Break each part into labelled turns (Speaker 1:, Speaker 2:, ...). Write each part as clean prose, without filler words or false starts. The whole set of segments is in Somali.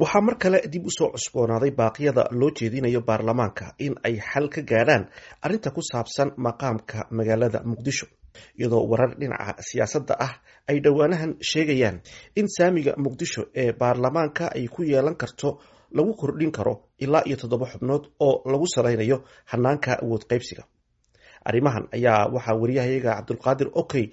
Speaker 1: Waxaa mar kale dib u soo cusboonaaday baaqyada loo jeedinayo baarlamaanka in ay xal ka gaadhaan arrinta ku saabsan maqaamka magaalada Muqdisho, iyadoo warar dhinaca siyaasadda ah ay dhowaanahan sheegayaan in saamiga Muqdisho ee baarlamaanka ay ku yeelan karto lagu kordhin karo ilaa iyo 7 xubnood oo lagu salaynayo hanaanka awood qaybsiga. Arrimahan ayaa waxaa wariyahayaga Cabdulqaadir Okey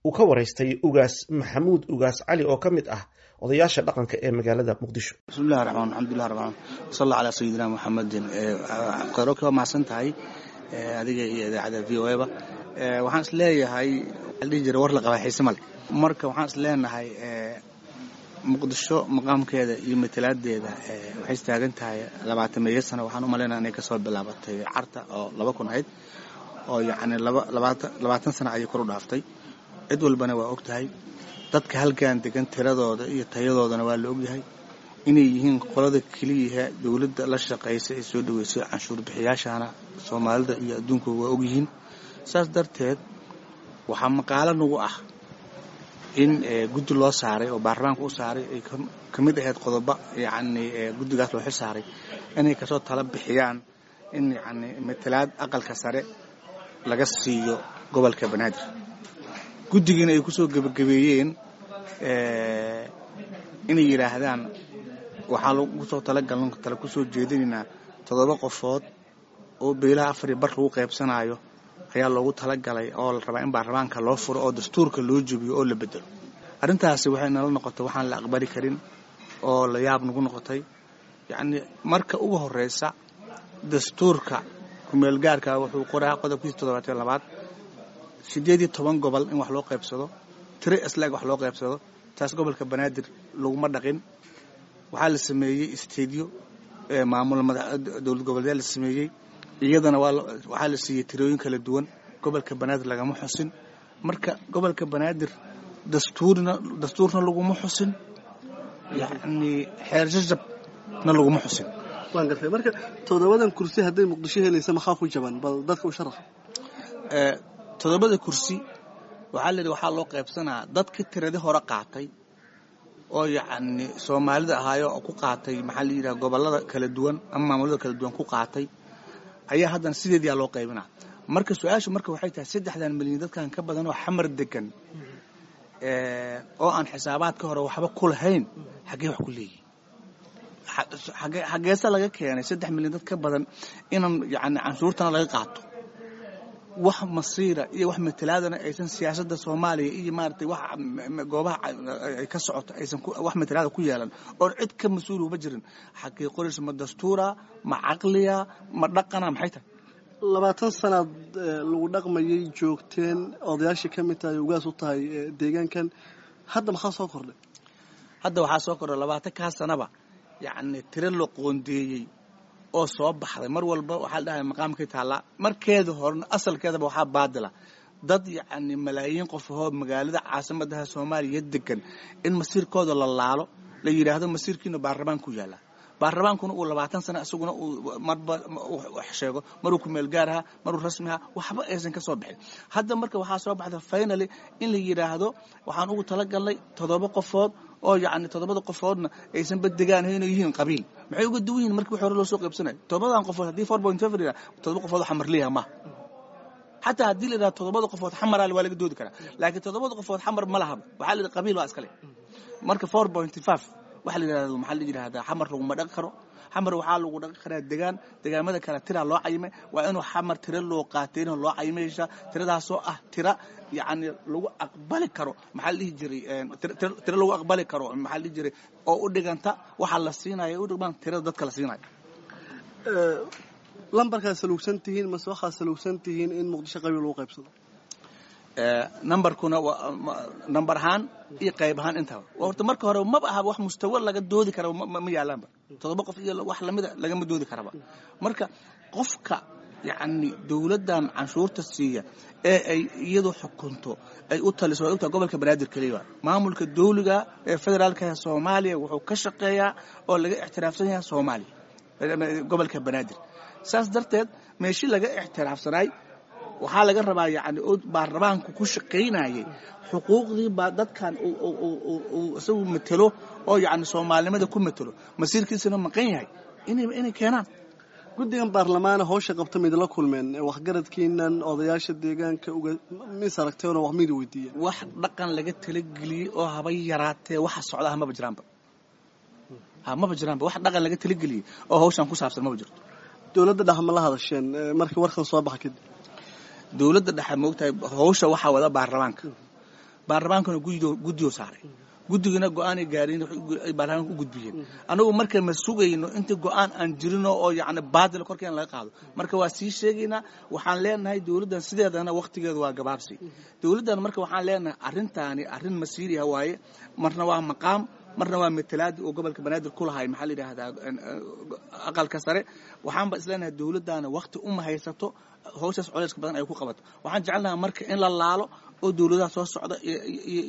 Speaker 1: uu ka waraystay Ugaas Maxamuud Ugaas Cali oo ka mid ah odayaasha dhaqanka ee magaalada Muqdisho.
Speaker 2: Bismillahi raxmaan alxamdulilah rabbil salla calaa sayidina Muxamadin. Cabdiqaadir, waa mahadsan tahay adiga iyo idaacadda VOA ba. Waxaan is leeyahay, waxaa la dhihi jiray war la qabaa xiise male. Marka waxaan is leenahay Muqdisho maqaamkeeda iyo matalaadeeda waxay istaagan tahay 20-meeyo sano. Waxaan u malaynaya inay kasoo bilaabatay Carta oo 2000 ahayd, oo yacni 20 sano ayay kor u dhaaftay. Cid walbana waa og tahay dadka halkan degan tiradooda iyo tayadoodana waa la ogyahay inay yihiin qolada keliyaha dowladda la shaqaysa ee soo dhaweysay canshuur bixiyaashana Soomaalida iyo adduunku waa ogyihiin. Saas darteed waxaa maqaalo nagu ah in guddi loo saaray oo baarlamaanka u saaray ay ka mid ahayd qodobo, yacni guddigaas loo xil saaray inay kasoo tala bixiyaan in yacni matalaad aqalka sare laga siiyo gobolka Banaadir. Guddigiina ay kusoo gebagabeeyeen inay yidhaahdaan waxaa lagu soo talagaln tala kusoo jeedinaynaa 7 qofood oo beelaha 4.5 lagu qaybsanaayo ayaa loogu talagalay oo la rabaa in baarlamaanka loo furo oo dastuurka loo jebiyo oo la bedelo. Arrintaasi waxay nala noqotay waxaan la aqbali karin oo la yaab nagu noqotay. Yacni marka ugu horeysa dastuurka kumeelgaarka wuxuu qoraa qodobkiisa 72aad 18 gobol in wax loo qaybsado, tiro isla-eg wax loo qaybsado. Taas gobolka Banaadir laguma dhaqin. Waxaa la sameeyey isteedyo maamul dowlad goboleedyaa la sameeyey, iyadana waxaa la siiyey tirooyin kala duwan. Gobolka Banaadir lagama xusin. Marka gobolka Banaadir dastuurna laguma xusin, yacni xeer jajabna laguma xusin.
Speaker 3: Waan gartay. Marka 7dan kursi hadday Muqdisho helaysa, maxaa ku jaban? Bal dadka u sharax.
Speaker 2: 7da kursi waxaa la yidhi waxaa loo qaybsanaa dadka tiradii hore qaatay oo yacni Soomaalida ahaayo oo ku qaatay, maxaa la yidhaha, gobollada kala duwan ama maamulada kala duwan ku qaatay ayaa haddana sideediyaa loo qaybinaa. Marka su-aashu marka waxay tahay 3dan milyan dadkan ka badan oo Xamar degan oo aan xisaabaadka hore waxba ku lahayn xaggee wax ku leeyihin? Xaggeese laga keenay 3 milyan dad ka badan inaan yacni canshuurtana laga qaato, wax masiira iyo wax matalaadana aysan siyaasadda Soomaaliya iyo maaragtay wax goobaha ay ka socoto aysan wax matalaada ku yeelan oon cid ka mas-uul uba jirin? Xagee qoraysa? Ma dastuura, ma caqliya, ma dhaqana, maxay tahay?
Speaker 3: 20 sanaad lagu dhaqmayay joogteen, odayaashii ka mid tahay, ugaas u tahay deegaankan. Hadda maxaa soo kordhay?
Speaker 2: Hadda waxaa soo kordhay 20-kaa sanaba yacni tiro la qoondeeyey oo soo baxday. Mar walba waxaa la dhahay maqaamkay taallaa. Markeeda horena asalkeedaba waxaa baadila dad yacni malaayiin qof ahoo magaalada caasimadaha Soomaaliya degan in masiirkooda la laalo, la yidhaahdo masiirkiina baarlamaanku yaallaa, baarlamaankuna uu 20 sano isaguna uu marba wax sheego, maruu kumeel gaaraha, maruu rasmiha, waxba aysan ka soo bixin. Hadda marka waxaa soo baxda finally in la yidhaahdo waxaan ugu talagalnay 7 qofood oo yacni 7da qofoodna aysan badegaan inay yihiin qabiil. Maxay uga duwan yihiin markii wax hore loo soo qaybsanayo? 7dan qofood haddii 4.5 la yidhaha, 7 qofood xamar leeyaha maaha. Xataa haddii la yidhaha 7da qofood xamaraa, waa laga doodi karaa, laakiin 7da qofood Xamar ma lahaba. Waxaa la yidhaha qabiil waa iskale. Marka 4.5 waxa la yidhahdo, maxaa la yidhahdaa, Xamar laguma dhaqi karo. Xamar waxaa lagu dhaqi karaa degaan. Degaamada kale tiraa loo cayimay. Waa inuu Xamar tiro loo qaatay inuu loo cayimaysa, tiradaasoo ah tira yacni lagu aqbali karo, maxaa la dhihi jiray, tiro lagu aqbali karo, maxaa la dhihi jiray, oo u dhiganta waxa la siinaya, u dhigmaan tirada dadka la siinayo.
Speaker 3: Lambarkaa saluugsan tihiin mase waxaa saluugsan tihiin in Muqdisho qabiil lagu qaybsado?
Speaker 2: Nambarkuna waa nambar ahaan iyo qayb ahaan intaba. Horta marka hore maba aha wax mustawa laga doodi kara ma yaalaanba. 7 qof iyo wax lamida lagama doodi karaba. Marka qofka yacni dowladdan canshuurta siiya ee ay iyadu xukunto ay u taliso waa ogtahay gobolka Banaadir keliya. Maamulka dowliga ee federaalka ee Soomaaliya wuxuu ka shaqeeyaa oo laga ictiraafsan yahay Soomaaliya gobolka Banaadir. Saas darteed meeshii laga ictiraafsanaay Waxaa laga rabaa yacni oo baarlamaanku ku shaqaynayay xuquuqdii baa dadkan uu isagu matelo oo yacni soomaalinimada ku matelo, masiirkiisuna maqan yahay, inay keenaan.
Speaker 3: Guddigan baarlamaana howsha qabta maidinla kulmeen waxgaradkiinan odayaasha deegaanka uga mis aragteenoo wax maidi weydiiyeen?
Speaker 2: Wax dhaqan laga talageliyey oo haba yaraatee waxa socda maba jiraanba, maba jiraanba. Wax dhaqan laga talageliyey oo hawshan ku saabsan maba jirto.
Speaker 3: Dowladda dhexe ma la hadasheen markii warkan soo baxa kadib?
Speaker 2: Dowladda dhexe, moogtahay, hawsha waxaa wada baarlamaanka. Baarlamaankana guddiyo saaray, guddigana go-aanay gaareen ay baarlamaanka u gudbiyeen. Anagu marka ma sugayno inta go-aan aan jirino oo yacni baadil korkeen laga qaado. Marka waa sii sheegaynaa, waxaan leenahay dowladdan sideedana waqtigeedu waa gabaabsi. Dowladdan marka waxaan leenahay arrintaani arrin masiiriha waaye. Marna waa maqaam, marna waa matalaadi oo gobolka Banaadir ku lahay, maxaa la yidhaahdaa, aqalka sare. Waxaanba isleenahay dowladdaana waqti uma haysato hawshaas culeyska badan ay ku qabato. Waxaan jecelnaha marka in la laalo oo dowladaha soo socda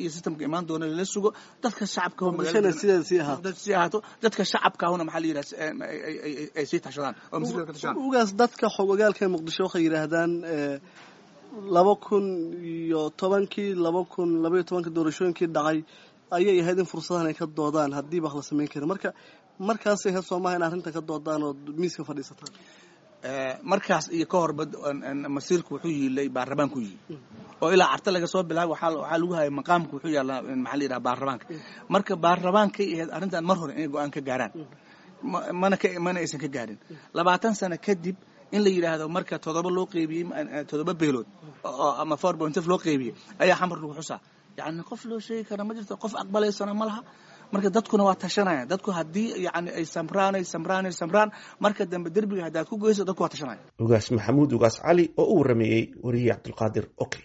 Speaker 2: iyo systemka imaan doona lala sugo, dadka shacabka sii ahaato, dadka shacabkaahuna, maxaa la yidhaha, ay sii tashadaan oo masiirka ka tashadaan.
Speaker 3: Ugaas, dadka xog ogaalka Muqdisho waxay yidhaahdaan 2010-kii, 2012-ka doorashooyinkii dhacay ayay ahayd in fursadahan ay ka doodaan haddiiba wax la samayn karin. Marka markaasay ahayd soomaha in arrinta ka doodaan oo miiska fadhiisataan?
Speaker 2: Markaas iyo ka horba masiirku wuxuu yiilay baarlamaanku yiil oo ilaa Carta laga soo bilaabay waxaa lagu hayay maqaamku wuxuu yaallaa, maxaa la yidhaha, baarlamaanka. Marka baarlamaankay ahayd arrintan mar hore inay go-aan ka gaaraan, mana ka mana aysan ka gaarin. 20 sano kadib in la yidhaahdo marka 7 loo qeybiyey, 7 beelood ama 4.5 loo qeybiyey ayaa Xamar lagu xusaa, yacni qof loo sheegi kara ma jirto, qof aqbalaysana ma laha. Marka dadkuna waa tashanayaan. Dadku haddii yacni ay samraan, ay samraan, ay samraan, marka dambe derbiga haddaad ku geyso, dadku waa tashanaya.
Speaker 1: Ugaas Maxamuud Ugaas Cali oo u warameeyey wariye Cabdulqaadir. Okay.